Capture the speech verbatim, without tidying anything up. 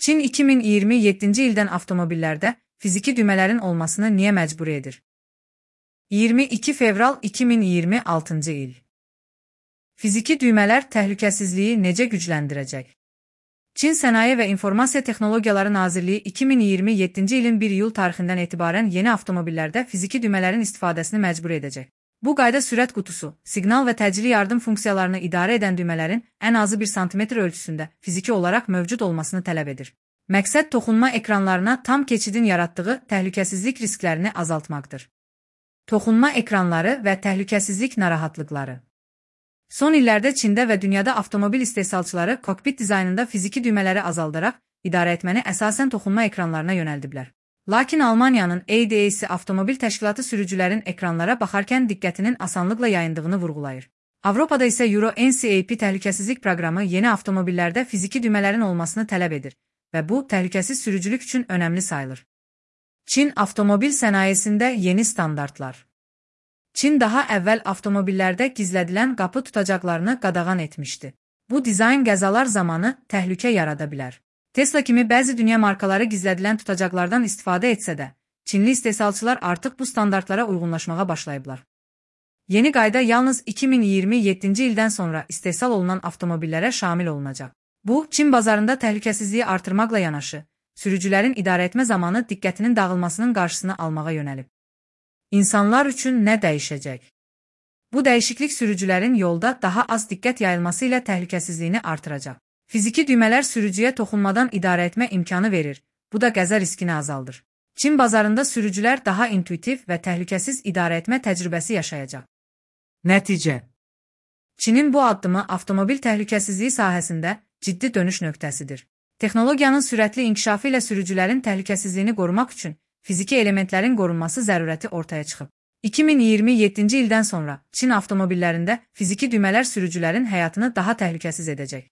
Çin iki min iyirmi yeddinci ildən avtomobillərdə fiziki düymələrin olmasını niyə məcbur edir? iyirmi iki fevral iki min iyirmi altıncı il. Fiziki düymələr təhlükəsizliyi necə gücləndirəcək? Çin Sənaye və İnformasiya Texnologiyaları Nazirliyi iki min iyirmi yeddinci ilin bir iyul tarixindən etibarən yeni avtomobillərdə fiziki düymələrin istifadəsini məcbur edəcək. Bu qayda sürət qutusu, siqnal və təcili yardım funksiyalarını idarə edən düymələrin ən azı bir santimetr ölçüsündə fiziki olaraq mövcud olmasını tələb edir. Məqsəd toxunma ekranlarına tam keçidin yaratdığı təhlükəsizlik risklərini azaltmaqdır. Toxunma ekranları və təhlükəsizlik narahatlıqları. Son illərdə Çində və dünyada avtomobil istehsalçıları kokpit dizaynında fiziki düymələri azaldaraq idarə etməni əsasən toxunma ekranlarına yönəldiblər. Lakin Almaniyanın A D A-si avtomobil təşkilatı sürücülərin ekranlara baxarkən diqqətinin asanlıqla yayındığını vurğulayır. Avropada isə Euro N C A P təhlükəsizlik proqramı yeni avtomobillərdə fiziki düymələrin olmasını tələb edir və bu təhlükəsiz sürücülük üçün önəmli sayılır. Çin avtomobil sənayesində yeni standartlar. Çin daha əvvəl avtomobillərdə gizlədilən qapı tutacaqlarını qadağan etmişdi. Bu dizayn qəzalar zamanı təhlükə yarada bilər. Tesla kimi bəzi dünya markaları gizlədilən tutacaqlardan istifadə etsə də, Çinli istehsalçılar artıq bu standartlara uyğunlaşmağa başlayıblar. Yeni qayda yalnız iki min iyirmi yeddinci ildən sonra istehsal olunan avtomobillərə şamil olunacaq. Bu, Çin bazarında təhlükəsizliyi artırmaqla yanaşı, sürücülərin idarə etmə zamanı diqqətinin dağılmasının qarşısını almağa yönəlib. İnsanlar üçün nə dəyişəcək? Bu dəyişiklik sürücülərin yolda daha az diqqət yayılması ilə təhlükəsizliyini artıracaq. Fiziki düymələr sürücüyə toxunmadan idarə etmə imkanı verir, bu da qəza riskini azaldır. Çin bazarında sürücülər daha intuitiv və təhlükəsiz idarə etmə təcrübəsi yaşayacaq. Nəticə. Çinin bu addımı avtomobil təhlükəsizliyi sahəsində ciddi dönüş nöqtəsidir. Texnologiyanın sürətli inkişafı ilə sürücülərin təhlükəsizliyini qorumaq üçün fiziki elementlərin qorunması zərurəti ortaya çıxıb. iki min iyirmi yeddinci ildən sonra Çin avtomobillərində fiziki düymələr sürücülərin həyatını daha təhlükəsiz edəcək.